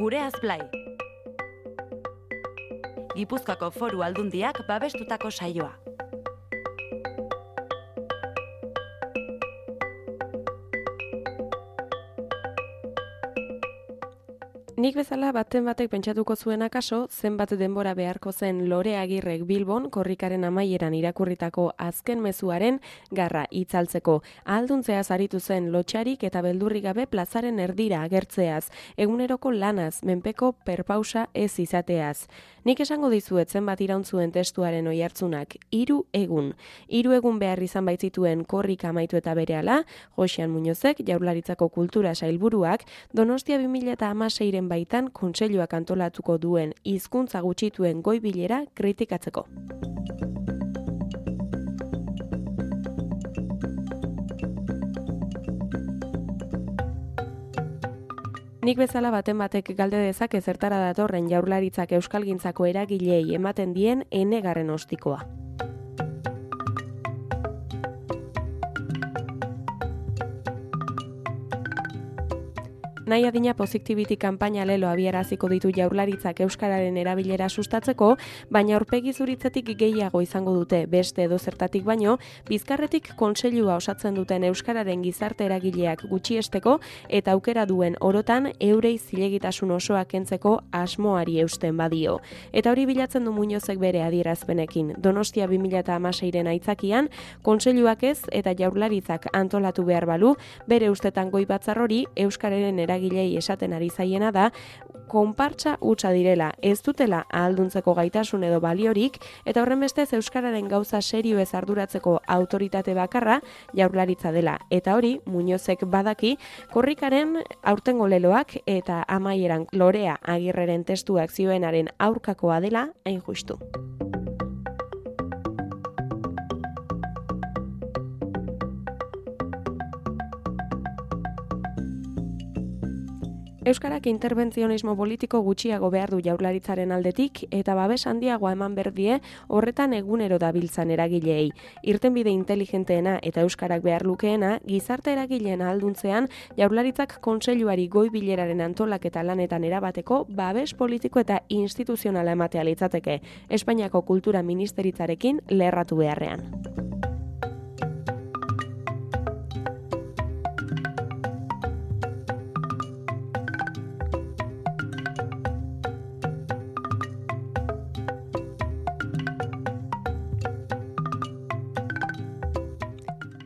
Gureaz Blai. Gipuzkoako Foru Aldundiak babestutako saioa. Nik bezala baten batek pentsatuko zuen akaso, zenbat denbora beharko zen Lore Agirrek Bilbon korrikaren amaieran irakurritako azken mezuaren garra itzaltzeko. Ahalduntzeaz aritu zen lotxarik eta beldurrik gabe plazaren erdira agertzeaz, eguneroko lanaz, menpeko perpausa ez izateaz. Nik esango dizuet zenbat iraun zuen testuaren oihartzunak, 3 egun. 3 egun behar izan baitzituen korrika amaitu eta berehala, Joxean Muñozek, Jaurlaritzako Kultura Sailburuak, Donostia 2016 baitan kontseiluak antolatuko duen hizkuntza gutxituen goi bilera kritikatzeko. Nik bezala baten batek galde dezake zertara datorren Jaurlaritzak euskalgintzako eragileei ematen dien enegarren ostikoa. Nahi adina Positivity kanpaina lelo abiaraziko ditu Jaurlaritzak euskararen erabilera sustatzeko, baina aurpegi zuritzetik gehiago izango dute beste edozertatik baino, Bizkarretik kontseilua osatzen duten euskararen gizarte eragileak gutxiesteko eta aukera duen orotan eurei zilegitasun osoa kentzeko asmoari eusten badio. Eta hori bilatzen du Muñozek bere adierazpenekin. Donostia 2016ren aitzakian, kontseiluak ez eta Jaurlaritzak antolatu behar balu, bere ustetan goi batzar hori euskararen eragilei esaten ari zaiena da, konpartsa hutsa direla, ez dutela ahalduntzeko gaitasun edo baliorik, eta horren bestez euskararen gauza serioez arduratzeko autoritate bakarra Jaurlaritza dela. Eta hori, Muñozek badaki, korrikaren aurtengo leloak eta amaieran Lorea Agirreren testuak zioenaren aurkakoa dela hain justu. Euskarak interbentzionismo politiko gutxiago behar du Jaurlaritzaren aldetik eta babes handiagoa eman berdie horretan egunero dabiltzan eragileei. Irtenbide inteligenteena eta euskarak behar lukeena, gizarte eragileen ahalduntzean Jaurlaritzak kontseiluari goi bileraren antolaketa lanetan erabateko babes politiko eta instituzionala ematea litzateke, Espainiako Kultura Ministeritzarekin lerratu beharrean.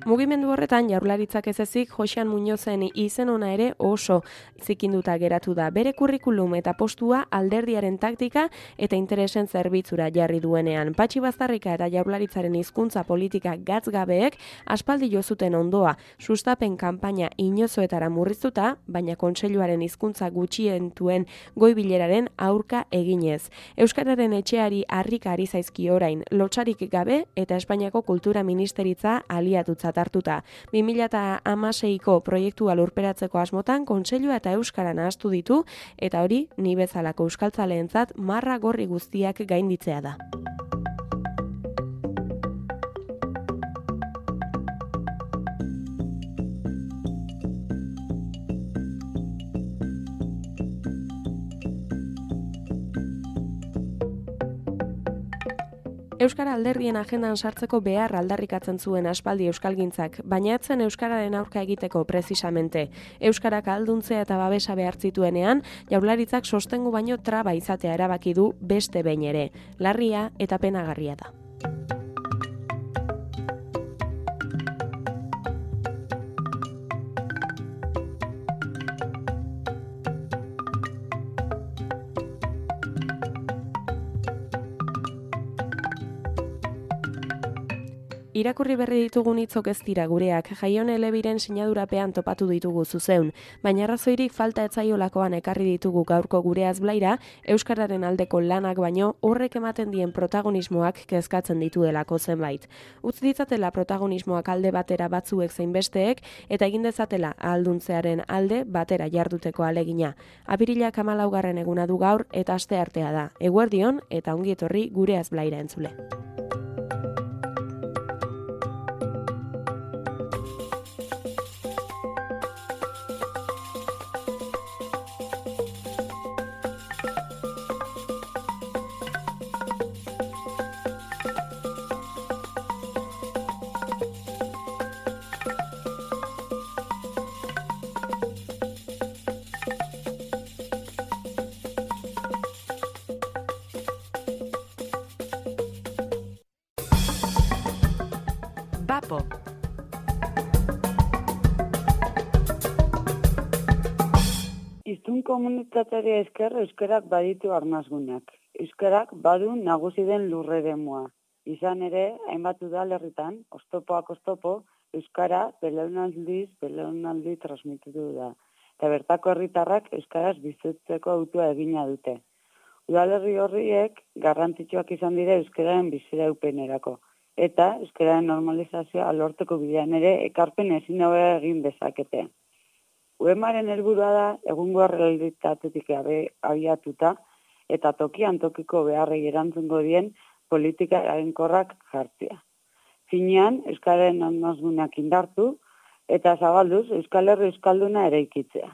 Mugimendu horretan Jaurlaritzak ez ezik Joxean Muñozen izen ona ere oso zikinduta geratu da. Bere kurrikulum eta postua alderdiaren taktika eta interesen zerbitzura jarri duenean. Patxi Baztarrika eta Jaurlaritzaren hizkuntza politika gatzgabeek aspaldi jo zuten ondoa, sustapen kanpaina inozoetara murriztuta, baina kontseiluaren hizkuntza gutxientuen goi bileraren aurka eginez. Euskararen etxeari harrika ari zaizki orain, lotsarik gabe eta Espainiako Kultura Ministeritza aliatutzat hartuta. 2016ko proiektua lurperatzeko asmotan kontseilua eta euskara nahastu ditu eta hori ni bezalako euskaltzaleentzat marra gorri guztiak gainditzea da. Euskara alderdien agendan sartzeko behar aldarrikatzen zuen aspaldi euskalgintzak, baina etzen euskararen aurka egiteko precisamente. Euskarak ahalduntzea eta babesa behar zituenean, Jaurlaritzak sostengu baino traba izatea erabaki du beste behin ere. Larria eta penagarria da. Irakurri berri ditugun hitzok ez dira gureak, Jaion Elebiren sinadurapean topatu ditugu zuzeun, baina arrazoirik falta etzaiolakoan ekarri ditugu gaurko Gureaz Blaira, euskararen aldeko lanak baino horrek ematen dien protagonismoak kezkatzen dituelako zenbait. Utz ditzatela protagonismoak alde batera batzuek zein besteek eta egin dezatela ahalduntzearen alde batera jarduteko alegina. Apirilak 14. eguna du gaur eta asteartea da. Eguerdion eta ongi etorri Gureaz Blaira entzule. Bapo. Hiztun komunitateari esker euskarak baditu arnasgunak. Euskarak badu nagusi den lurreremua. Izan ere, hainbat udalerritan, oztopoak oztopo, euskara belaunaldi transmititu da. Eta bertako herritarrak euskaraz bizitzeko autua egina dute. Udalerri horriek garrantzitsuak izan dira euskararen biziraupenerako. Eta euskararen normalizazioa lortzeko bidean ere ekarpen ezin hobea egin dezakete. UEMaren helburua da egungo errealitatetik abiatuta eta tokian tokiko beharrei erantzungo dien politika eraginkorrak jartzea. Finean, euskararen arnasgunak indartu eta zabalduz Euskal Herri euskalduna eraikitzea.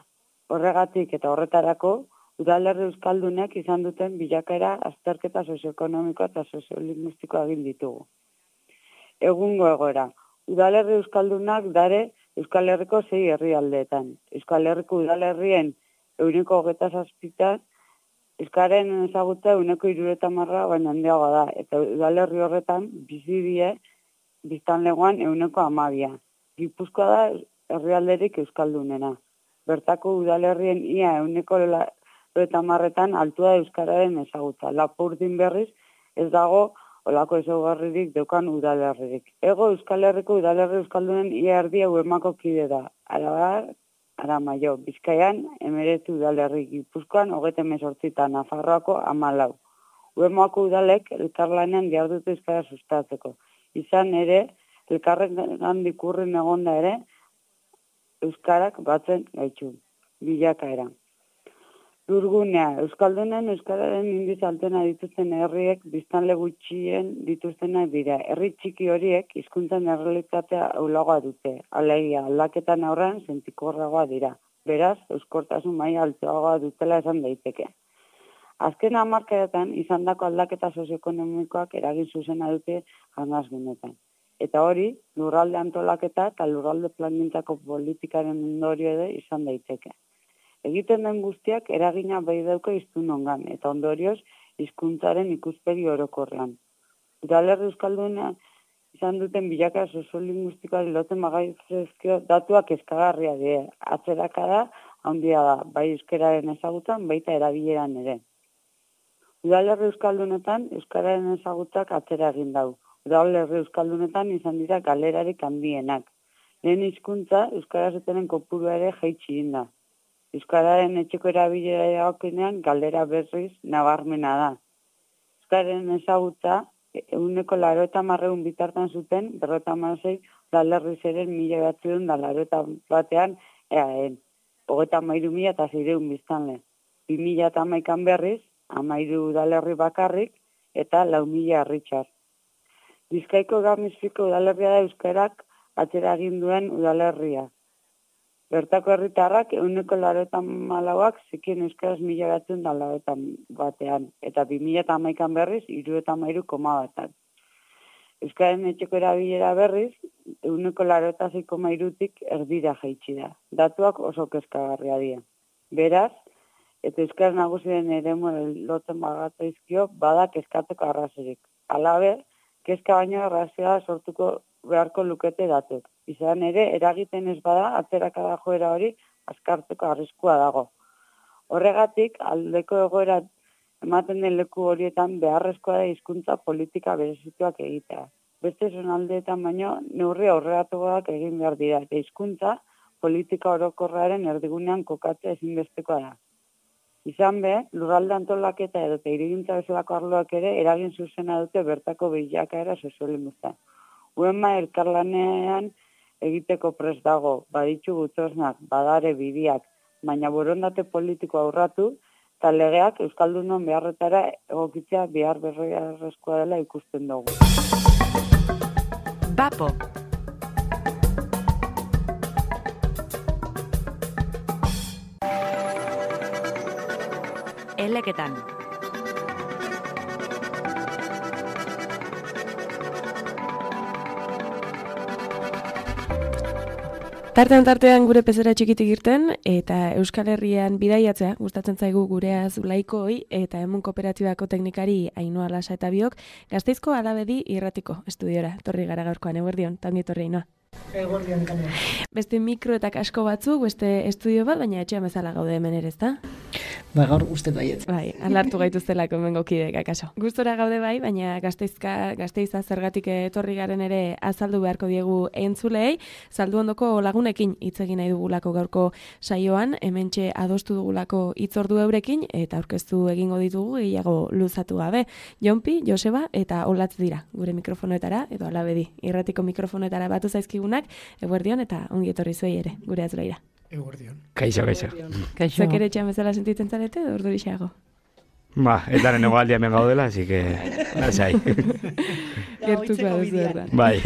Horregatik eta horretarako, udalerri euskaldunek izan duten bilakaera azterketa sozioekonomikoa eta soziolinguistikoa egin ditugu. Egungo egoera, udalerri euskaldunak dare Euskal Herriko 6 herrialdeetan. Euskal Herriko udalerrien 27%, euskaren ezagutza 70% baina handiagoa da, eta udalerri horretan bizi die biztanlegoan 12%. Gipuzkoa da herrialderik euskaldunena. Bertako udalerrien ia 90%etan altua euskararen ezagutza. Lapurdin berriz ez dago olako ezaugarririk daukan udalerririk. Ego Euskal Herriko udalerri euskaldunen ia erdia UEMako kide da. Arabar, Aramaio, Bizkaian 19 udalerri, Gipuzkoan 38 eta Nafarroako 14. UEMako udalek elkarlanean dihardute euskara sustatzeko. Izan ere, elkarrengandik urrin egonda ere, euskarak batzen gaitu. Bilakaera. Lurgunea, euskaldunen euskararen indiz altena dituzten herriek biztanle gutxien dituztenak dira. Herri txiki horiek hizkuntzan errealitatea ahulagoa dute. Alegia, aldaketan aurrean sentikorragoa dira. Beraz, euskortasun maila altuagoa dutela esan daiteke. Azken hamarkadetan izandako aldaketa sozioekonomikoak eragin zuzena dute arnasgunetan. Eta hori, lurralde antolaketa eta lurralde plangintzako politikaren ondorio ere izan daiteke. Egiten den guztiak eragina bai dauka hiztunongan eta ondorioz hizkuntzaren ikuspegi orokorrean. Udalerri euskalduna izan duten bilaka soziolinguistikoari lotzen magaizkio datuak eskagarria dira. Atzerakada handia da, bai euskararen ezagutzan, baita erabileran ere. Udalerri euskaldunetan euskararen ezagutzak atzera egin dau. Udalerri euskaldunetan izan dira galerarik handienak. Lehen hizkuntza euskaraz etenen kopurua ere jaitsi egin da. Euskararen etxeko erabilera dagokenean galdera berriz nabarmena da. Euskararen ezagutza 90% bitartan zuten 56 udalerri zeren 1981 eaen. 33.600 biztanle. 2011 berriz 13 udalerri bakarrik eta 4.000 herritxar. Bizkaiko Gamizpiko udalerria da euskarak atzera egin duen udalerria. Bertako herritarrak 94%ak zekien euskaraz 1981 eta 2011 berriz 73,1. Euskaren etxeko erabilera berriz 96,3tik erdira jaitsi da. Datuak oso kezkagarria dira. Beraz, eta euskara nagusien eremu lotzen bagataizkio bada kezkatzeko arrazorik. Halaber, kezka baino arrazioa sortuko beharko lukete datuk. Izan ere, eragiten ez bada, atzerakada joera hori azkartzeko arriskua dago. Horregatik, aldeko egoera ematen den leku horietan beharrezkoa da hizkuntza politika berezituak egitea. Beste zonaldeetan baino, neurri aurreratuak egin behar dira, eta hizkuntza politika orokorraren erdigunean kokatzea ezinbestekoa da. Izan be, lurralde antolaketa edo hirigintza bezalako arloak ere eragin zuzena dute bertako bilakaera soziolinguistan. UEMA elkarlanean egiteko prest dago, baditzu tresnak, badare bidiak, baina borondate politiko aurratu, eta legeak euskaldunon beharretara egokitzea behar beharrezkoa dela ikusten dugu. Bapo. Eleketan. Tartean gure pezera txikitik irten eta Euskal Herrian bidaiatzea gustatzen zaigu gurea Zulaikoi eta Emun Kooperatibako teknikari Ainhoa Lasa eta biok Gasteizko Alabedi irratiko estudiora. Torri gara gaurkoan, eguerdion, ta ongi etorri Ainhoa. Eguerdion kanera. Beste mikro eta kasko batzuk, beste estudio bat, baina etxean bezala gaude hemen ere, ezta? Ba, gaur uste baiet. Bai, alartu gaituztelako hemengo kideek akaso. Gustora gaude bai, baina Gasteiza zergatik etorri garen ere azaldu beharko diegu entzulei, saldu ondoko lagunekin hitz egin nahi dugulako gaurko saioan, hementxe adostu dugulako hitzordu eurekin eta aurkeztu egingo ditugu gehiago luzatu gabe. Jonpi, Joseba eta Olatz dira gure mikrofonoetara edo Alabedi irratiko mikrofonoetara batu zaizkigunak, eguerdion eta ongi etorri zuei ere gure azulaira. Eguerdion. Kaixo. Zuek ere etxean bezala sentitzen zarete edo ordurixeago? Ba, eta neno aldia hemen gaudela, así que lasai. Gertuko duzu erda. Bai.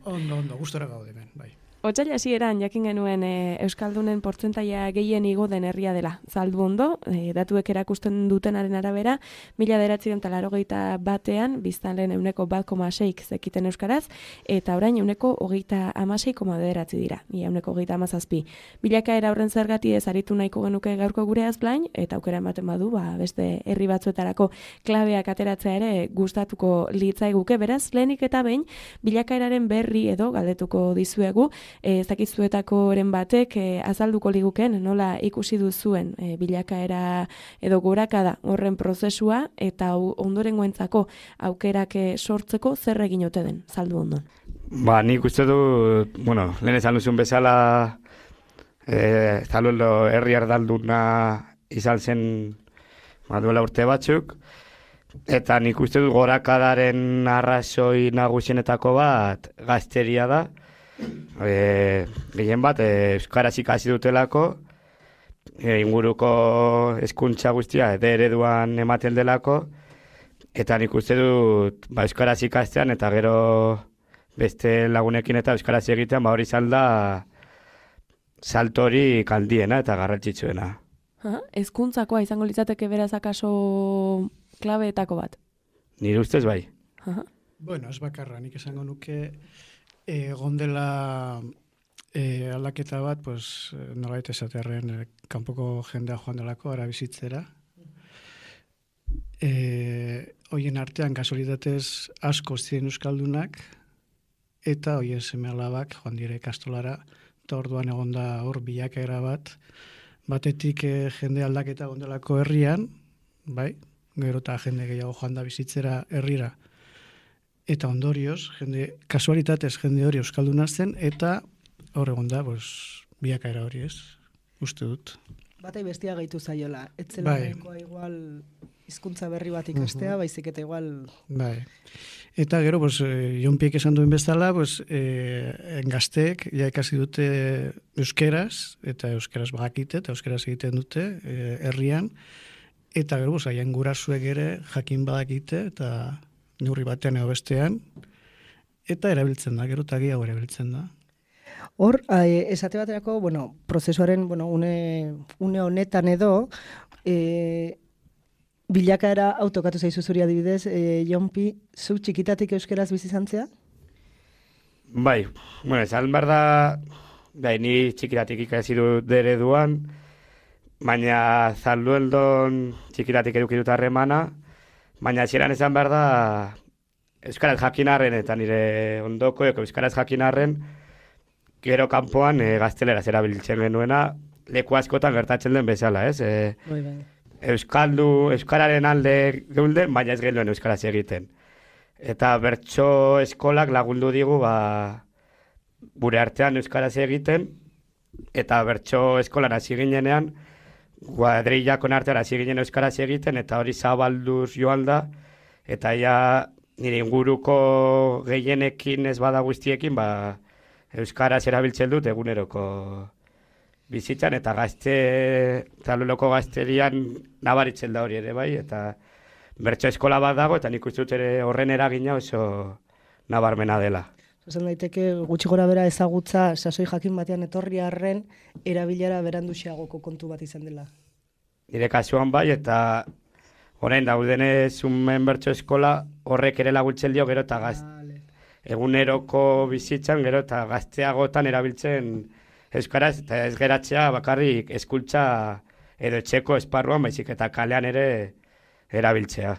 Ondo, gustora gaude hemen, bai. Otsaila hasieran jakin genuen Euskaldunen portzentaia gehien igo den herria dela. Zalduondo, datuek erakusten dutenaren arabera, 1981 biztanleen 1,6 zekiten euskaraz, eta orain 1,6,9 dira, 1,37. Bilakaera horren zergati ez aritu nahiko genuke gaurko gure azblain, eta aukera ematen badu, beste herri batzuetarako klabeak ateratzea ere gustatuko litzaiguke, beraz, lehenik eta behin, bilakaeraren berri edo galdetuko dizuegu, zakizuetakoren batek azalduko liguken nola ikusi duzuen bilakaera edo gorakada horren prozesua eta ondorengoentzako aukerak sortzeko zer egin ote den, saldu ondon. Ba, nik uste du, lehen esan duzun bezala Zaluelo herri erdalduna izan zen duela urte batzuk, eta nik uste du gorakadaren arrazoi nagusienetako bat gazteria da. Gehien bat, euskaraz ikasi dutelako, inguruko hezkuntza guztia ereduan ematen delako, eta nik uste dut euskaraz ikastean eta gero beste lagunekin eta euskaraz egitean hori zalda saltori kaldiena eta garrantzitsuena. Hezkuntzakoa izango litzateke beraz akaso klabeetako bat? Nire ustez bai. Bueno, ez bakarra, nik esango nuke gondela aldaketa bat, nolait esaterren kanpoko jendea joan delako, ara bizitzera. Hoien artean kasualitatez asko ziren euskaldunak, eta hoien seme alabak joan dire ikastolara, eta orduan egonda hor bilakaera bat, batetik jende aldaketa gondelako herrian, bai, gero eta jende gehiago joan da bizitzera herrira, eta ondorioz, kasualitatez jende hori euskalduna zen, eta hor egon da, biakaera hori ez, uste dut. Batai bestia gaitu zaiola, etzela igual hizkuntza berri bat ikastea, baizik eta igual... Bai, eta gero, Jonpiek esan duen bezala, gazteek ja ikasi dute euskeraz, eta euskeraz bakite, eta euskeraz egiten dute herrian, eta gero, haien gurasuek ere jakin badakite, eta neurri batean edo bestean, eta erabiltzen da, gero eta gehiago erabiltzen da. Hor, esate baterako, prozesuaren, une honetan edo, bilakaera autokatu zaizu zuri adibidez, Jonpi, zu txikitatik euskeraz bizi zantzea? Bai, esan behar da, ni txikitatik ikasi dut ereduan, baina Zaldueldon txikitatik eduki dut harremana, baina hasieran esan behar da euskaraz jakinarren eta nire ondoko euskaraz jakinarren gero kanpoan gazteleraz erabiltzen genuena leku askotan gertatzen den bezala, ez? Euskararen alde geulden, baina ez genuen euskaraz egiten. Eta bertso eskolak lagundu digu gure artean euskaraz egiten, eta bertso eskolan hasi ginenean kuadrillakon artean hasi ginen euskaraz egiten, eta hori zabalduz joan da, eta nire inguruko gehienekin ez bada guztiekin, euskaraz erabiltzen dut eguneroko bizitzan, eta Zaldueloko gazterian nabaritzen da hori ere bai, eta bertso eskola bat dago, eta nik uste dut ere horren eragina oso nabarmena dela. Esan daiteke gutxi gora bera ezagutza sasoi jakin batean etorri arren erabilera beranduxeagoko kontu bat izan dela. Nire kasuan bai, eta orain daudenez unmen bertso eskola horrek ere laguntzen dio gero eta eguneroko bizitzan gero eta gazteagotan erabiltzen euskaraz, eta ez geratzea bakarrik eskultza edo etxeko esparruan, baizik eta kalean ere erabiltzea.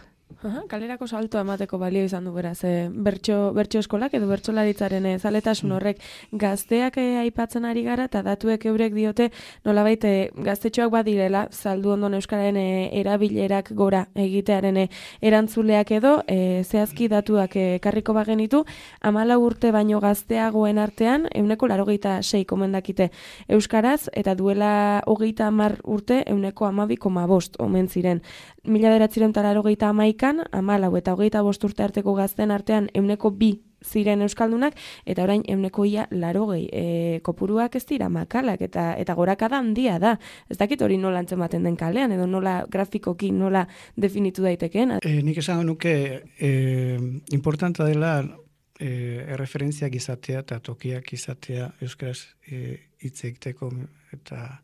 Kalerako salto emateko balio izan du beraz, bertso eskolak edo bertsolaritzaren zaletasun horrek gazteak aipatzen ari gara eta datuek eurek diote nolabait gaztetxoak badirela saldu ondon euskararen erabilerak gora egitearen erantzuleak edo zehazki datuak ekarriko bagenitu 14 urte baino gazteagoen artean 86 komendakite euskaraz eta duela 30 urte 12,5 omen ziren. 1981 14 eta 25 urte arteko gazten artean 2 ziren euskaldunak, eta orain 80 kopuruak ez dira makalak, eta gorakada handia da. Ez dakit hori nola antzematen den kalean, edo nola grafikoki nola definitu daitekeen. Nik esango nuke importanta dela erreferentziak izatea eta tokiak izatea euskaraz hitz egiteko, eta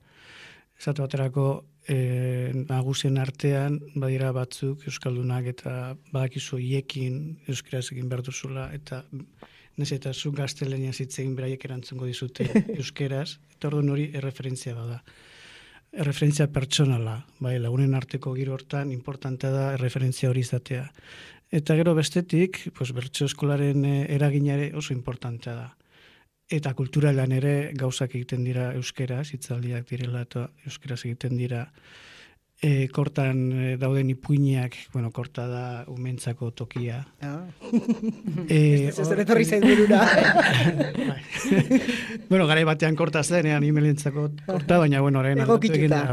esatu baterako nagusien artean badira batzuk euskaldunak eta badakizu hiekin euskaraz egin behar duzula, eta nez eta zu gaztelaniaz hitz egin beraiek erantzungo dizute euskaraz, eta orduan hori erreferentzia bada. Erreferentzia pertsonala, bai, lagunen arteko giro hortan importantea da erreferentzia hori izatea. Eta gero bestetik, bertso eskolaren eraginare oso importantea da. Eta kulturalan ere gauzak egiten dira euskeraz, hitzaldiak direla eta euskeraz egiten dira. Kortan dauden ipuinak, korta da umentzako tokia. Ez etorri zain dirura. Garai batean korta zenean imelentzako korta, baina orain aldatu egin da.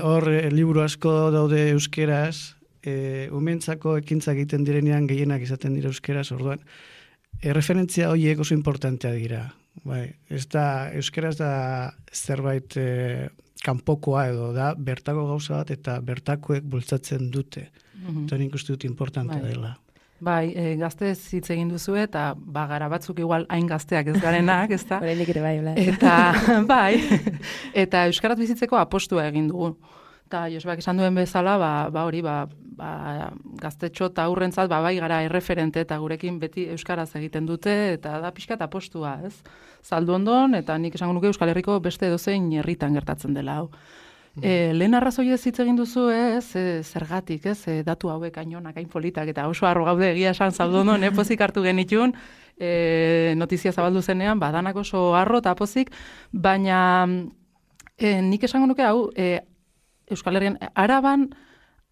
Hor liburu asko daude euskeraz, umentzako ekintzak egiten direnean gehienak izaten dira euskeraz, orduan. Referentzia horiek oso importantea dira. Euskaraz da zerbait kanpokoa edo da bertako gauza bat eta bertakoek bultzatzen dute. Eta nik uste dut importantea dela. Bai, gaztez hitz egin duzu eta gara batzuk igual hain gazteak ez garenak, ez da? Horrenik ere bai, Eta, bai, eta euskaraz bizitzeko apostua egin dugu. Eta Josebak esan duen bezala, gaztetxo eta aurrentzat bai gara erreferente eta gurekin beti euskaraz egiten dute eta da pixka eta postua, ez? Zaldu ondon, eta nik esango nuke Euskal Herriko beste edozein herritan gertatzen dela, hau. Lehen arrazoi ez hitz egin duzu, zergatik, datu hauek ainonak, hain politak, eta oso harro gaude egia esan zaldu ondon, pozik hartu genitun, notizia zabaldu zenean, badanak oso harro eta pozik, baina nik esango nuke hau, Euskal Herrian,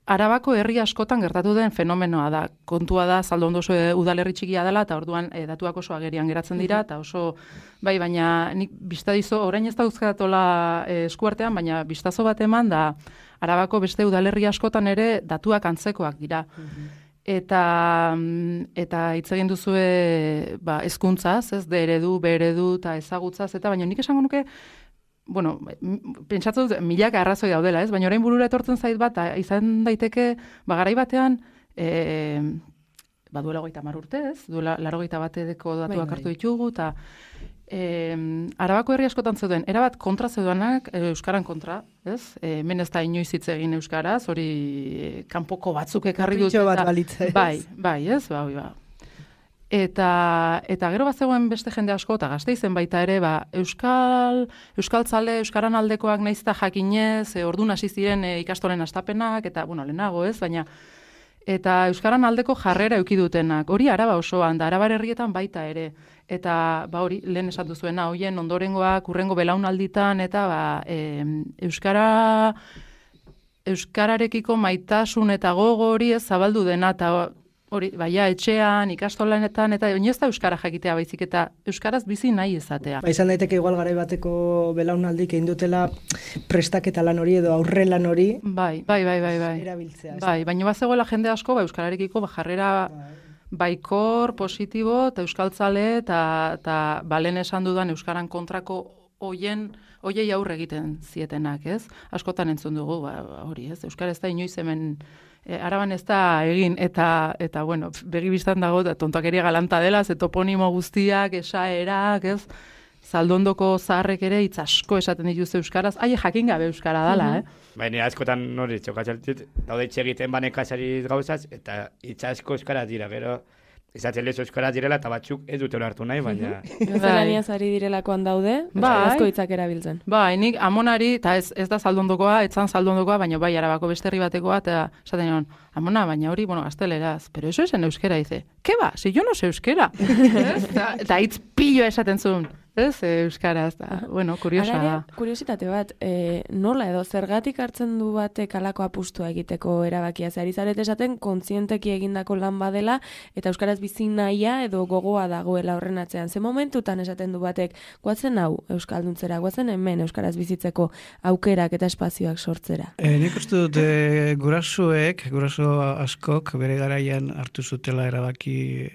Arabako herri askotan gertatu den fenomenoa da. Kontua da, zaldo ondo oso udalerri txikia dela, eta orduan datuak oso agerian geratzen dira, eta oso, baina nik biztadizo, orain ez da uzkatola eskuartean, baina biztazo bat eman da, Arabako beste udalerri askotan ere datuak antzekoak dira. Eta hitz egin duzue hezkuntzaz, ez, D eredu, B eredu, eta ezagutzaz, eta baina nik esango nuke, pentsatu dut, milaka arrazoi daudela, ez? Baina orain burura etortzen zait bat, izan daiteke, garai batean, duela 30 urte, ez? Duela 81 datuak hartu ditugu, eta Arabako herri askotan zeuden, erabat kontra zeudanak, euskaran kontra, ez? Hemen ez da inoiz hitz egin euskaraz, hori kanpoko batzuk ekarri dut. Kapritxo bat balitza, ez? Bai, ez? Eta gero bazegoen beste jende asko, eta Gasteizen baita ere, euskaltzale, euskaran aldekoak naizta jakinez, ordun hasi ziren ikastolen hastapenak, eta, lehenago ez, baina, eta euskaran aldeko jarrera eduki dutenak. Hori Araba osoan, da Arabar herrietan baita ere. Eta, hori, lehen esan duzuena, hoien ondorengoak, urrengo belaunalditan, eta, euskararekiko maitasun eta gogo hori ez zabaldu dena, eta hori, etxean, ikastolanetan, eta ez da euskara jakitea baizik, eta euskaraz bizi nahi izatea. Izan daiteke igual garai bateko belaunaldik egin dutela prestaketa lan hori edo aurre lan hori. Bai. Erabiltzea. Baina bazegoela jende asko, euskararekiko jarrera baikor, positibo, eta euskaltzale, eta balen esan dudan euskaran kontrako hoiei aurre egiten zietenak, ez? Askotan entzun dugu, hori, ez? Euskara ez da inoiz hemen Araban ez da egin, eta begibistan dago, tontakeria galanta dela, ze toponimo guztiak, esaerak, ez? Zaldondoko zaharrek ere hitz asko esaten dituzte euskaraz, jakin gabe euskara dela, Baina askotan hori txokatzatit, daude egiten banekasari gauzaz, eta hitz asko euskara dira, gero izatzen lezo euskaraz direla, eta batzuk ez dute hartu nahi, baina... Gaztelaniaz ari direlakoan daude, euskarazko hitzak erabiltzen. Bai, nik amonari, eta ez da zaldondokoa, etzan zaldondokoa, baina bai, arabako beste herri batekoa, eta esaten nion, amona, baina hori, gazteleraz, pero eso es en euskera, dice, ¿qué va? Si yo no sé euskera. Eta hitz pilloa esaten zuen. Ez, euskaraz, da. Bueno, kuriosa da. Kuriositate bat, nola edo zergatik hartzen du batek alako apustua egiteko erabakia? Zari zaret esaten, kontzienteki egindako lan badela, eta euskaraz bizi nahia edo gogoa dagoela horren atzean. Ze momentutan esaten du batek, guatzen hau euskalduntzera, guatzen hemen euskaraz bizitzeko aukerak eta espazioak sortzera? Nik uste dut guraso askok bere garaian hartu zutela erabaki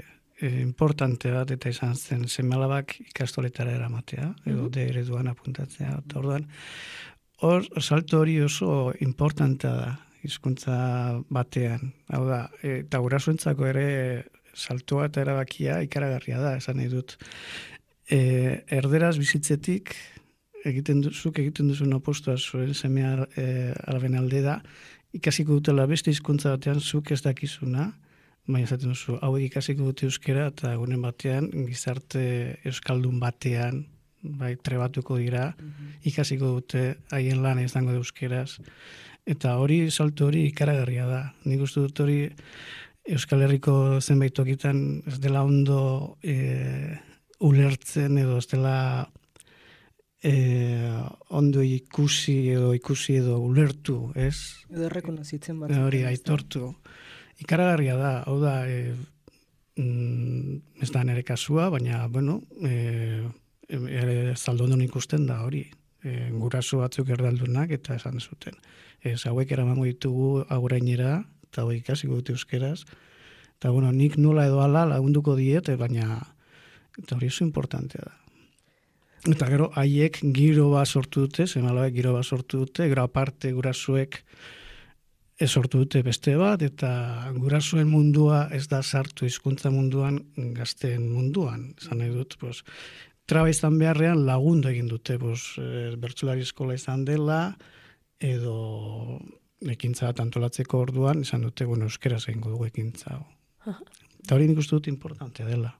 importante bat, eta izan zen seme-alabak ikastoletara eramatea, edo de ereduan apuntatzea. Eta orduan, hor salto hori oso importantea da, hizkuntza batean. Hau da, eta gurasoentzako ere saltoa eta erabakia ikaragarria da, esan nahi dut. Erderaz bizitzetik, egiten duzun opostua zuen seme-alaben alde da, ikasiko dutela beste hizkuntza batean zuk ez dakizuna, baina esaten duzu, hauek ikasiko dute euskera, eta egunen batean, gizarte euskaldun batean, bai, trebatuko dira, ikasiko dute, haien lan izango da euskeraz. Eta hori, salto hori ikaragarria da. Nik uste dut hori Euskal Herriko zenbait tokitan ez dela ondo ulertzen, edo ez dela ondo ikusi edo ulertu, ez? Edo errekonozitzen bat. Hori, aitortu. Ikaragarria da, hau da, ez da nire kasua, baina, bueno, zaldondon ikusten da hori. Guraso batzuk erdaldunak eta esan zuten. Hauek eramango ditugu agurainera, eta hauek ikasiko dute euskeraz. Eta, bueno, nik nola edo ala lagunduko diet, baina, eta hori oso importantea da. Eta gero, haiek giro bat sortu dute, seme-alabek giro bat sortu dute, gero aparte gurasoek ez sortu dute beste bat, eta gurasoen mundua ez da sartu hizkuntza munduan, gazteen munduan. Esan nahi dut, traba izan beharrean lagundu egin dute, bertsolari eskola izan dela, edo ekintza bat antolatzeko orduan, esan dute, euskeraz egingo dugu ekintza. Eta hori nik uste dut importantea dela.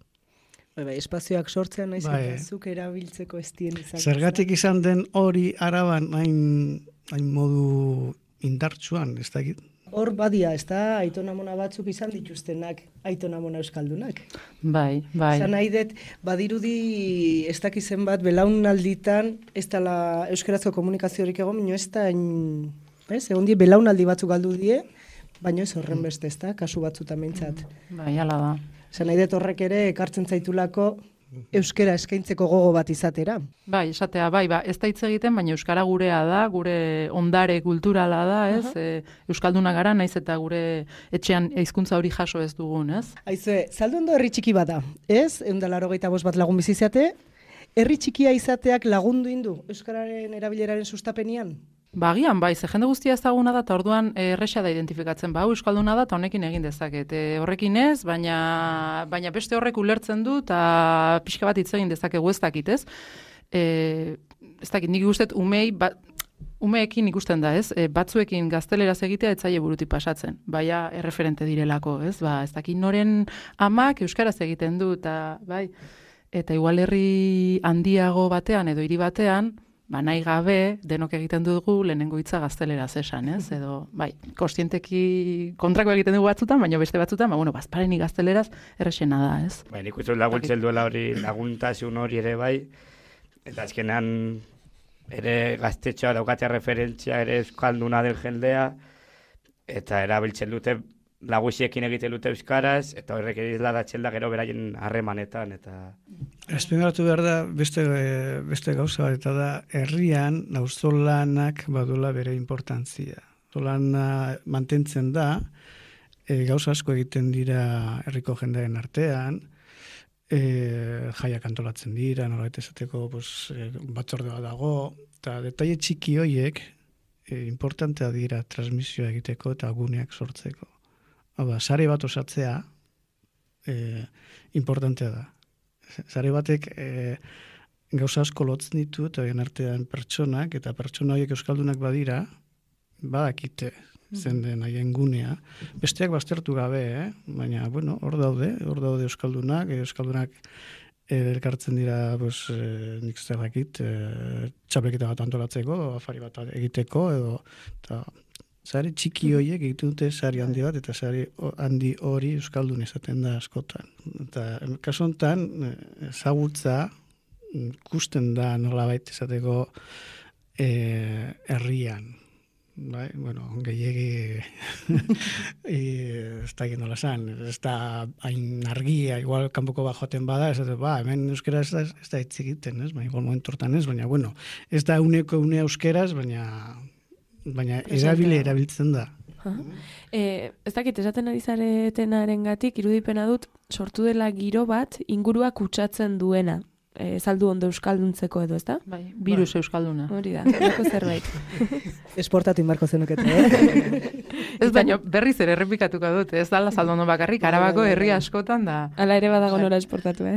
Espazioak sortzean naiz, eta zuk erabiltzeko ez dien izan. Zergatik izan den hori Araban hain modu indartsuan, ez da egit? Hor badia, ez da, aitonamona batzuk izan dituztenak, aitonamona euskaldunak. Bai. Zan nahi dut, badirudi ez dakizen bat, belaunalditan, ez dela euskarazko komunikaziorik egon, baina ez da, egon die, belaunaldi batzuk galdu die, baina ez horren beste, ez da, kasu batzutan behintzat. Bai, ala da. Zan nahi dut horrek ere, ekartzen zaitulako, euskara eskaintzeko gogo bat izatera. Bai, esatea, ez da hitz egiten, baina euskara gurea da, gure ondare kulturala da, ez? Euskalduna gara, naiz eta gure etxean hizkuntza hori jaso ez dugun, ez? Aizue, Zalduondo herri txiki bada, ez? 185 bat lagun biziziate, herri txikia izateak lagundu indu euskararen erabileraren sustapenian? Bagian, ze jende guztia ezaguna da, eta orduan erresa da identifikatzen, euskalduna da, eta honekin egin dezaket. Horrekin ez, baina beste horrek ulertzen du, eta pixka bat hitz egin dezakegu ez dakit, ez? Ez dakit, nik guztet umeekin ikusten da, ez? Batzuekin gazteleraz egitea etzaile burutik pasatzen, baina erreferente direlako, ez? Ez dakit noren amak euskaraz egiten du, eta igual herri handiago batean edo hiri batean, nahi gabe, denok egiten dugu lehenengo hitza gazteleraz esan, ez? Edo, kontzienteki kontrako egiten dugu batzutan, baina beste batzutan, bazpareni gazteleraz errexena da, ez? Nik uste laguntzen duela hori, laguntasun hori ere bai, eta azkenean ere gaztetxoa daukatea referentzia ere euskalduna den jendea, eta erabiltzen dute lagusiekin egiten dute euskaraz, eta horrek izladatzen da gero beraien harremanetan, eta... Azpimarratu behar da beste gauza bat, eta da herrian auzolanak badula bere importantzia. Auzolana mantentzen da, gauza asko egiten dira herriko jendearen artean, jaiak antolatzen dira, nolabait esateko batzordea dago, eta detaile txiki horiek importantea dira transmisioa egiteko eta guneak sortzeko. Sare bat osatzea importantea da. Sare batek gauza asko lotzen ditu, eta horien artean pertsonak, eta pertsona horiek euskaldunak badira, badakite zenden haien gunea. Besteak baztertu gabe, baina, bueno, hor daude euskaldunak elkartzen dira, pues, nik zer dakit, txapelketa bat antolatzeko, afari bat egiteko, edo, eta sari txiki horiek egiten dute sari handi bat, eta sari handi hori euskaldun izaten da askotan. Eta kasu honetan, ezagutza ikusten da nolabait izateko herrian. Bai, bueno, gehiegi ez da nola esan, ez da hain argia, igual kanpoko bat joaten bada, ez da, hemen euskera ez da hitz egiten, ez? Baina igual momentu hortan ez, baina bueno, ez da une euskeraz, baina erabiltzen da. Ez dakit, esaten ari zaretenarengatik irudipena dut, sortu dela giro bat ingurua kutsatzen duena. Zaldu ondo euskalduntzeko edo, ezta? Bai, virus euskalduna. Hori da, lako zerbait. Esportatu inbarko zenukete, Ez baina berriz ere errepikatuko dut, ez dala zaldu ondo bakarrik, Arabako herri askotan da. Hala ere badago nora esportatu, Bai.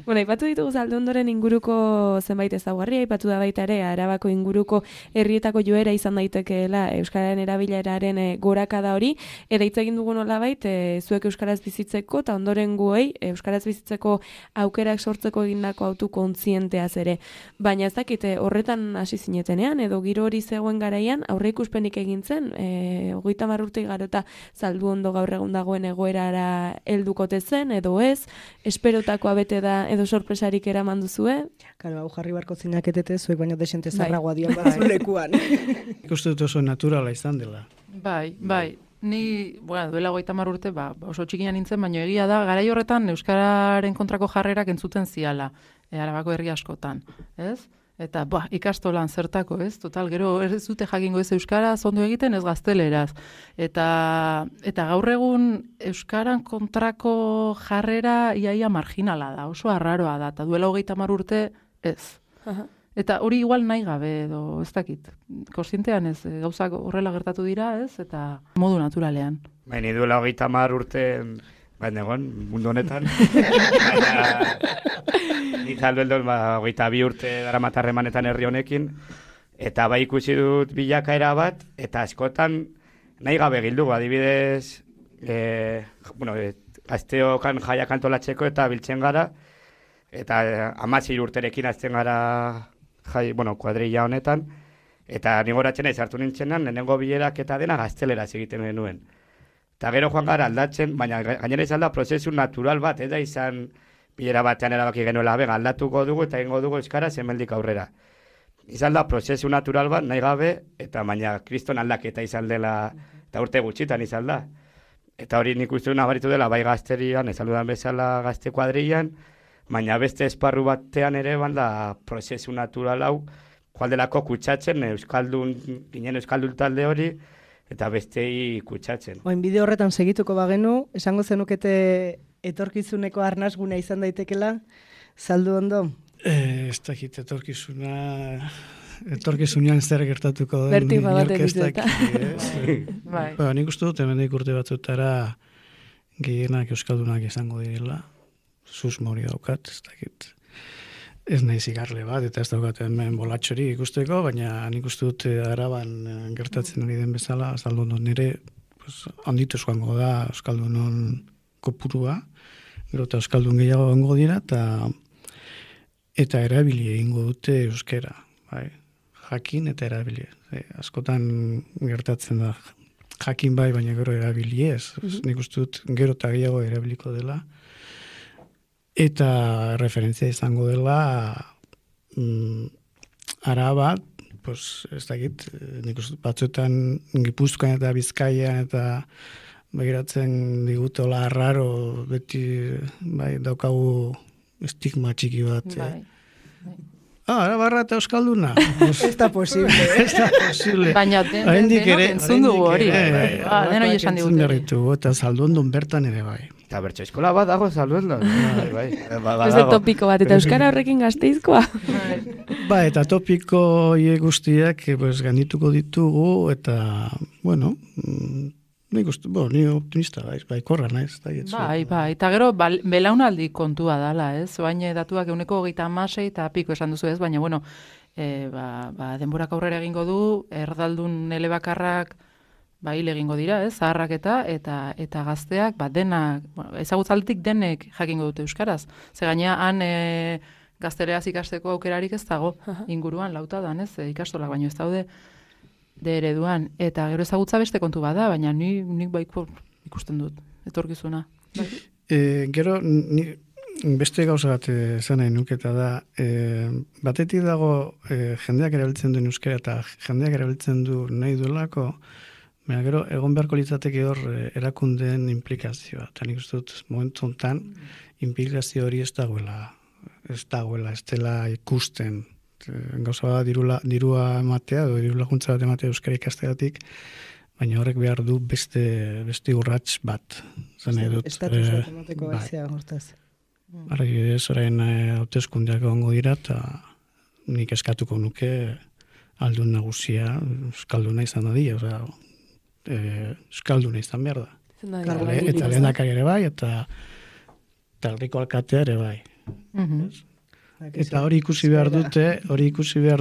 Bueno, aipatu ditugu Zaldundoren inguruko zenbait ezaugarri, aipatu da baita ere Arabako inguruko herrietako joera izan daitekeela euskararen erabileraren gorakada hori, eta hitz egin dugu nolabait zuek euskaraz bizitzeko eta ondoren guei euskaraz bizitzeko aukerak sortzeko egindako autokontzienteaz ere. Baina ez dakit horretan hasi zinetenean edo giro hori zegoen garaian aurreikuspenik egin zen, 30 urte igarota Zalduondo gaur egun dagoen egoerara heldukote zen edo ez, esperotakoa bete da edo sorpresarik eraman duzue? Karo, hau jarri barko zinaketete, zuek baino desente zarragoa dian batzu lekuan. Ikuste dut oso naturala izan dela. Bai. Ni, duela 30 urte, oso txikian nintzen, baina egia da, garai horretan euskararen kontrako jarrerak entzuten ziala, Arabako herri askotan, ez? Eta, ikastolan zertako, ez? Total, gero ez dute jakingo ez euskaraz ondo egiten, ez gazteleraz. Eta gaur egun euskaran kontrako jarrera iaia marginala da, oso arraroa da, eta duela 30 urte ez. Eta hori igual nahi gabe edo ez dakit. Kontzientean ez, gauzak horrela gertatu dira, ez? Eta modu naturalean. Ni duela 30 urte, baina egon, mundu honetan. Ni Zalduondo 22 urte daramatarremanetan herri honekin, eta bai ikusi dut bilakaera bat, eta askotan nahi gabe gildugu, adibidez, gazteokan jaiak antolatzeko eta biltzen gara, eta 16 urterekin azten gara kuadrilla honetan, eta nigoratzen ez hartu nintzenan, lehenengo bilerak eta dena gazteleraz egiten genuen. Eta gero joan gara aldatzen, baina gainera izan da prozesu natural bat, ez da izan bilera batean erabaki genuela, aldatuko dugu eta egingo dugu euskaraz hemendik aurrera. Izan da prozesu natural bat, nahi gabe, eta baina kriston aldaketa izan dela, eta urte gutxitan izan da. Eta hori nik uste nabaritu dela, bai gazterian, ezaludan bezala gazte kuadrillan, baina beste esparru batean ere banda prozesu natural hau, kualdelako kutsatzen, ginen euskaldun talde hori, eta bestei kutsatzen. Oin bideo horretan segituko bagenu, esango zenukete etorkizuneko arnasguna izan daitekela, Zalduondo? Ez dakit etorkizunean zer gertatuko den. Bertigo bat edituta. Nik uste dut, hemendik urte batzutara gehienak euskaldunak izango direla. Susmo hori daukat, ez dakit. Ez nahi zigarle bat, eta ez daukat hemen bolatxori ikusteko, baina nik uste dut Araban gertatzen ari den bezala, Zalduondo nire handitu joango da euskaldunon kopurua, gero eta euskaldun gehiago egongo dira, eta erabili egingo dute euskera, jakin eta erabili. Askotan gertatzen da jakin bai, baina gero erabili ez. Nik uste dut gero eta gehiago erabiliko dela, eta referentzia izango dela Araba, ez dakit, nik uste batzuetan Gipuzkoan eta Bizkaian eta begiratzen digutola arraro, beti daukagu estigma txiki bat. Arabarra eta euskalduna. Ez da posible. Baina denok entzun dugu hori. Denok esan digute. Eta Zalduondon bertan ere bai. Eta bertso eskola bat dago Zalduondon. Ez da topiko bat, eta euskara horrekin Gasteizkoa. Eta topiko guztiak gaindituko ditugu, eta, bueno, ni optimista bai, korra naiz. Bai, eta gero belaunaldi kontua dala, ez? Baina datuak 26 eta piko esan duzu ez, baina, bueno, denborak aurrera egingo du, erdaldun elebakarrak hil egingo dira, zaharrak eta gazteak, denak, ezagutzaldetik denek jakingo dute euskaraz. Ze gainea, han gazteleraz ikasteko aukerarik ez dago, inguruan lautadan, ikastolak baino ez daude de ereduan. Eta gero ezagutza beste kontu bada, baina nik baiko ikusten dut, etorkizuna. Gero, beste gauza bat esan nahi nuketa da, batetik dago jendeak erabiltzen duen euskara eta jendeak erabiltzen du nahi duelako, baina gero, egon beharko litzateke hor erakundeen implikazioa. Eta nik uste dut, momentu honetan, implikazio hori ez dagoela, ez dela ikusten. Gauza bat dirua ematea, edo diru laguntza bat ematea euskara ikasteatik, baina horrek behar du beste urrats bat. Zene dut. Estatus emateko baizea, hortaz. Argidez, orain hauteskundeak egongo dira, eta nik eskatuko nuke aldun nagusia euskalduna izan dadila, euskalduna izan behar da. Eta lehendakari ere bai, eta herriko alkatea ere bai. Eta hori ikusi behar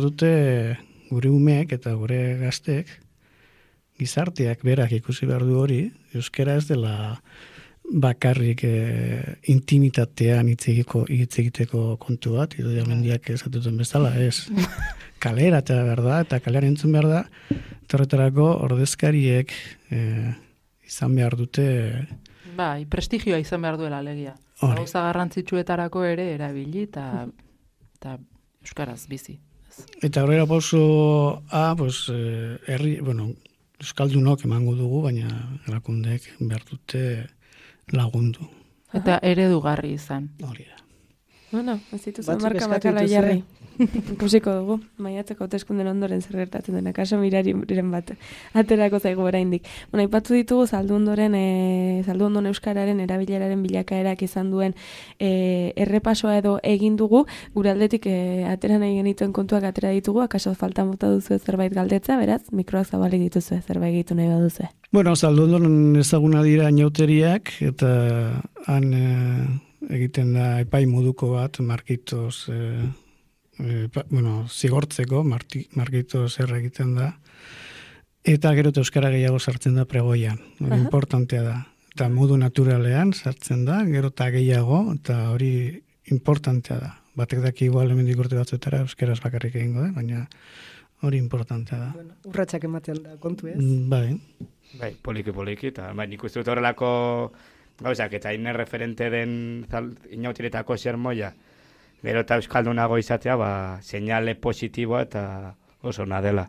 dute gure umeek eta gure gazteek, gizarteak berak ikusi behar du hori, euskara ez dela bakarrik intimitatean hitz egiteko kontu bat, Idoia Mendiak esatuten bezala, ez. Kalera eta behar da, eta kalean entzun behar da, horretarako ordezkariek izan behar dute... Prestigioa izan behar duela alegia. Gauza garrantzitsuetarako ere erabili eta euskaraz bizi. Eta horrela pausoa, euskaldunok emango dugu, baina erakundeek behar dute lagundu. Eta eredugarri izan. Hori da. Bueno, ez dituzun marka bakala jarri. Ikusiko dugu, maiatzeko hauteskunden ondoren zer gertatzen dena, kaso mirariren bat, aterako zaigu oraindik. Bueno, aipatu ditugu zaldundon euskararen erabileraren bilakaerak izan duen errepasoa edo egin dugu, gure aldetik atera nahi genituen kontuak atera ditugu, akaso falta mota duzu zerbait galdetza, beraz, mikroak zabalik dituzu zerbait egitu nahi baduzu. Bueno, zaldundon ezaguna dira inauteriak, eta han egiten da epai moduko bat, markitoz... zigortzeko, markito zer egiten da, eta gero euskara gehiago sartzen da pregoian, importantea da. Eta modu naturalean sartzen da, gero eta gehiago, eta hori importantea da. Batek daki igual hemendik urte batzuetara euskaraz bakarrik egingo da, baina hori importantea da. Bueno, urratsak ematen da kontu ez? Bai, poliki, eta nik uste dut horrelako gauzak, eta inen referente den inautiretako sermoia, gero eta euskaldunago izatea, seinale positiboa eta oso ona dela.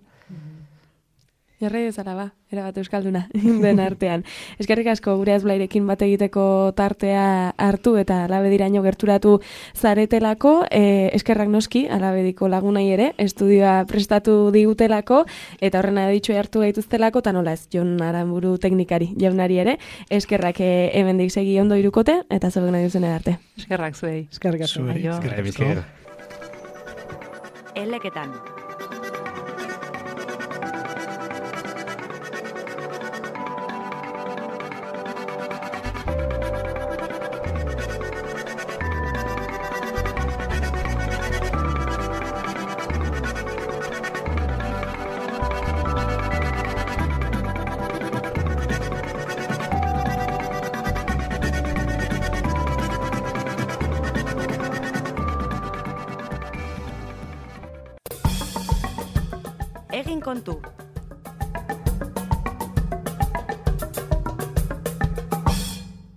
Jarrai bezala erabat euskalduna den artean. Eskerrik asko gure azblairekin bat egiteko tartea hartu eta alabediraino gerturatu zaretelako, eskerrak noski alabediko lagunai ere, estudioa prestatu digutelako, eta horrena ditxo hartu gaituztelako, eta nola ez, Jon Aranburu teknikari jaunari ere, eskerrak hemendik segi ondo irukote, eta zebek nahi duzen arte. Eskerrak zuei. Eskerrik asko. Eskerrik asko. Eleketan. Egin kontu.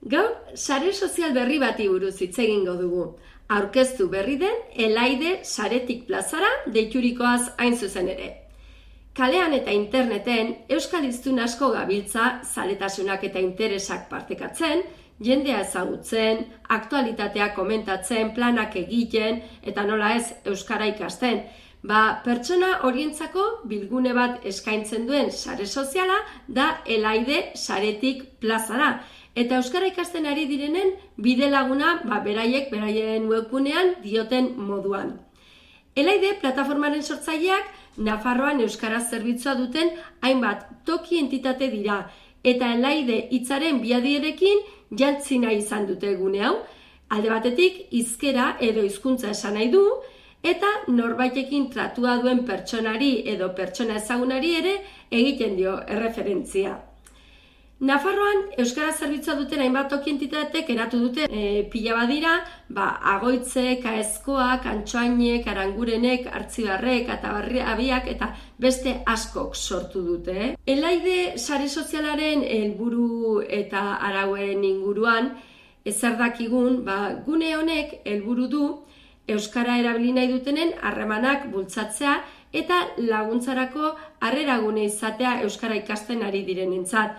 Gaur, sare sozial berri bati buruz hitz egingo dugu. Aurkeztu berri den Elaide saretik plazara deiturikoaz hain zuzen ere. Kalean eta interneten euskal hiztun asko gabiltza zaletasunak eta interesak partekatzen, jendea ezagutzen, aktualitatea komentatzen, planak egiten eta nola ez euskara ikasten. Pertsona horientzako bilgune bat eskaintzen duen sare soziala da Elaide saretik plazara. Eta euskara ikasten ari direnen bide laguna beraien webgunean dioten moduan. Elaide plataformaren sortzaileak Nafarroan euskaraz zerbitzua duten hainbat toki entitate dira. Eta Elaide hitzaren biadierekin jantzi nahi izan dute gune hau. Alde batetik hizkera edo hizkuntza esan nahi du, eta norbaitekin tratua duen pertsonari edo pertsona ezagunari ere egiten dio erreferentzia. Nafarroan Euskara zerbitzua duten hainbat toki entitatek eratu dute pila badira, Agoitze, Kaezkoak, Antxoainek, Arangurenek, Artzibarrek, Atabarriak eta beste askok sortu dute. Elaide sare sozialaren helburu eta arauen inguruan zer dakigun, gune honek helburu du Euskara erabili nahi dutenen harremanak bultzatzea eta laguntzarako harreragune izatea Euskara ikasten ari direnentzat.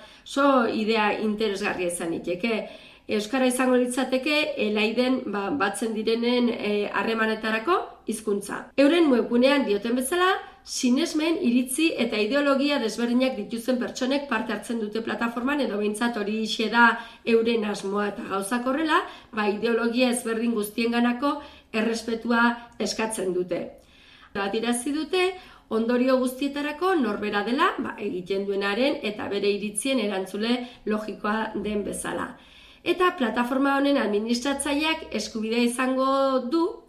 Idea interesgarria izan liteke. Euskara izango litzateke Elaiden batzen direnen harremanetarako hizkuntza. Euren webgunean dioten bezala, sinesmen, iritzi eta ideologia desberdinak dituzten pertsonek parte hartzen dute plataforman edo behintzat hori da euren asmoa eta gauzak horrela, ideologia ezberdin guztienganako errespetua eskatzen dute. Adirazi dute, ondorio guztietarako norbera dela, egiten duenaren eta bere iritzien erantzule logikoa den bezala. Eta plataforma honen administratzaileak eskubidea izango du,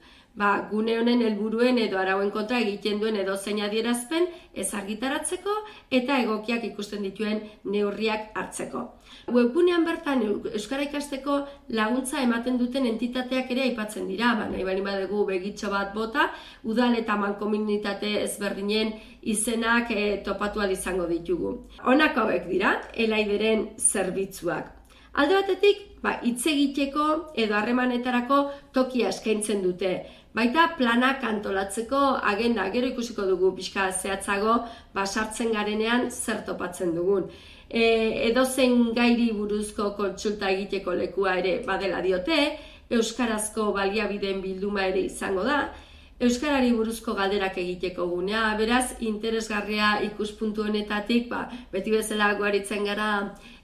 gune honen helburuen edo arauen kontra egiten duen edozein adierazpen ez argitaratzeko eta egokiak ikusten dituen neurriak hartzeko. Webgunean bertan Euskara ikasteko laguntza ematen duten entitateak ere aipatzen dira, nahi baldin badugu begitxo bat bota, udal eta mankomunitate ezberdinen izenak topatu ahal izango ditugu. Honak hauek dira, Elaideren zerbitzuak. Alde batetik, hitz egiteko edo harremanetarako tokia eskaintzen dute. Baita planak antolatzeko agenda, gero ikusiko dugu pixka zehatzago, sartzen garenean zer topatzen dugun. Edozein gairi buruzko kontsulta egiteko lekua ere badela diote, euskarazko baliabideen bilduma ere izango da, euskarari buruzko galderak egiteko gunea, beraz, interesgarria ikuspuntu honetatik, beti bezala guaritzen gara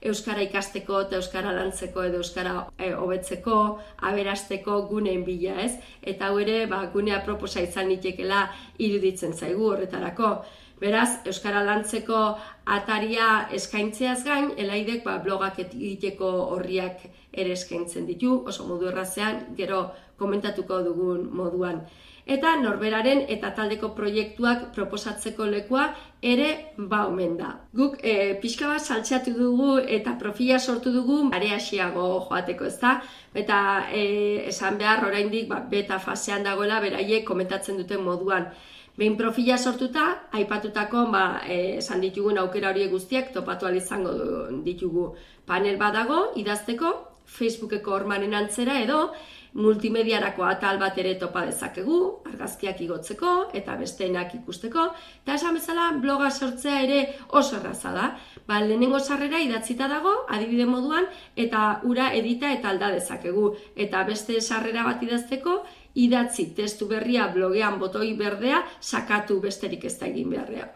euskara ikasteko eta euskara lantzeko edo euskara hobetzeko, aberasteko guneen bila, ez? Eta hau ere, gunea proposa izan nitekela iruditzen zaigu horretarako. Beraz, euskara lantzeko ataria eskaintzeaz gain, Elaidek blogak egiteko horriak ere eskaintzen ditu, oso modu errazean, gero komentatuko dugun moduan. Eta norberaren eta taldeko proiektuak proposatzeko lekua ere omen da. Guk pixka bat saltzeatu dugu eta profila sortu dugu areaxiago joateko, ezta? Eta esan behar oraindik beta fasean dagoela beraiek komentatzen duten moduan. Behin profila sortuta, aipatutako esan ditugun aukera horiek guztiak topatu ahal izango ditugu. Panel badago, idazteko, Facebookeko hormaren antzera edo, multimediarako atal bat ere topa dezakegu, argazkiak igotzeko eta besteenak ikusteko, eta esan bezala bloga sortzea ere oso erraza da. Lehenengo sarrera idatzita dago, adibide moduan, eta ura edita eta alda dezakegu. Eta beste sarrera bat idazteko, idatzi testu berria blogean botoi berdea sakatu besterik ez da egin beharrea.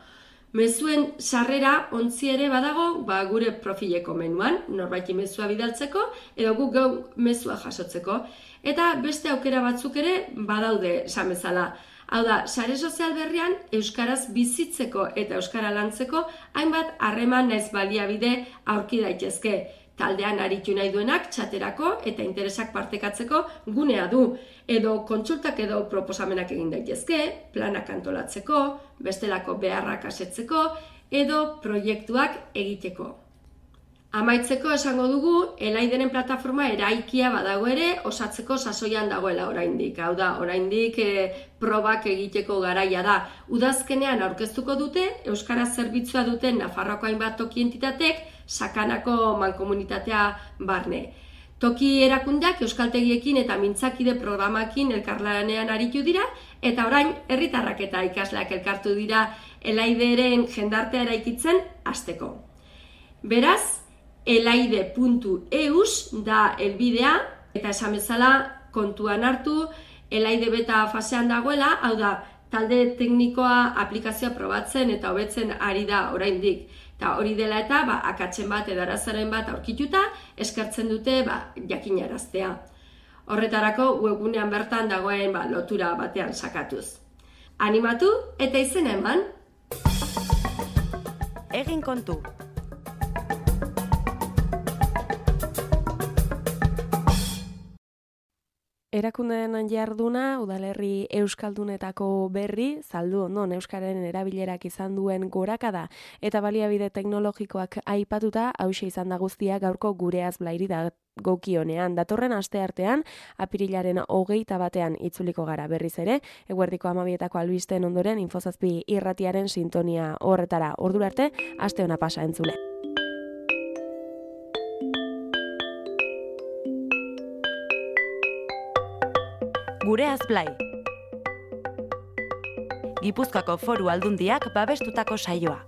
Mezuen sarrera ontzi ere badago gure profileko menuan, norbaiti mezua bidaltzeko edo guk mezua jasotzeko. Eta beste aukera batzuk ere badaude esan bezala. Hau da, sare sozial berrian euskaraz bizitzeko eta euskara lantzeko hainbat harreman naiz baliabide aurki daitezke. Taldean aritu nahi duenak txaterako eta interesak partekatzeko gunea du. Edo kontsultak edo proposamenak egin daitezke, planak antolatzeko, bestelako beharrak asetzeko, edo proiektuak egiteko. Amaitzeko esango dugu, Elaideren plataforma eraikia badago ere, osatzeko sasoian dagoela oraindik. Hau da, oraindik probak egiteko garaia da. Udazkenean aurkeztuko dute, euskara zerbitzua duten Nafarroako hainbat toki entitatek, sakanako mankomunitatea barne. Toki erakundeak euskaltegiekin eta mintzakide programakin elkarlanean aritu dira, eta orain herritarrak eta ikasleak elkartu dira Elaideren jendartea eraikitzen hasteko. Beraz, elaide.eus da helbidea, eta esan bezala kontuan hartu, Elaide beta fasean dagoela, hau da, talde teknikoa aplikazioa probatzen eta hobetzen ari da oraindik. Eta hori dela eta akatzen bat edo arazaren bat aurkituta eskertzen dute jakinaraztea. Horretarako webgunean bertan dagoen lotura batean sakatuz. Animatu eta izena eman! Egin kontu! Erakundeen jarduna, udalerri euskaldunetako berri, saldu ondon euskararen erabilerak izan duen gorakada eta baliabide teknologikoak aipatuta, hauxe izan da guztia gaurko gureaz blairi da gokionean. Datorren asteartean, apirilaren 21 itzuliko gara berriz ere, eguerdiko 12etako albisten ondoren Infozazpi irratiaren sintonia horretara. Ordura arte, aste ona pasa entzule. Gureaz blai. Gipuzkoako Foru Aldundiak babestutako saioa.